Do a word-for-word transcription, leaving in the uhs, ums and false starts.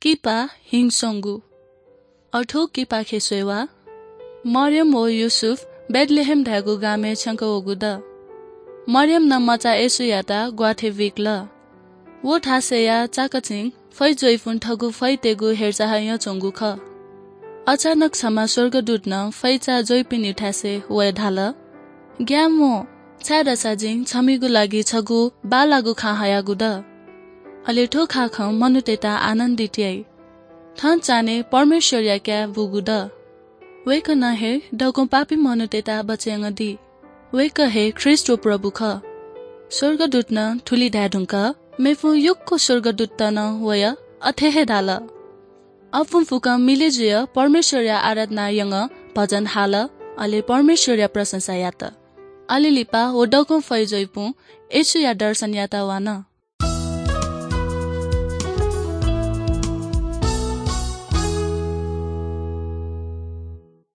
किपा हिंस्वंगु। अ थ्व किपाखे स्वयेवा। मरियम व यूसुफ बेथलेहेम धायेगु गामय् छ्यंकः वःगु द। मरियमं मचा येशूयात ग्वाथय् बुइकल। व थासय्‌या चाकःछिं फै ज्वइपुं थःगु फैतय्‌गु हेरचाह यानाच्वंगु खः। अचानक छम्ह स्वर्गदूतं फैचा ज्वइपिनिगु थासय् वयाः धाल, "ग्याये म्वाः, छाय्‌धाःसा जिं छमिगु लागि छगू बांलाःगु खँ हयागु द। अले थ्व खँ खनाः मनूतय्‌त आनन्दित याइ। थन चान्हय् परमेश्वरया काय् बूगु द। वय्‌कलं हे दक्व पापी मनूतय्‌त बचय् यानादी। वय्‌कः हे ख्रीष्ट व प्रभु खः।" स्वर्गदूतं थुलि धाये धुंकाः मेपिं यक्व स्वर्गदूतत नं वयाः अथे हे धाल। अपुं फुक्कं मिलय् जुयाः परमेश्वरया आराधना यानाः भजन हाल, अले परमेश्वरया प्रशंसा यात। अले लिपा व दक्वं फै ज्वइपुं येशूया दर्शन यायेत वल।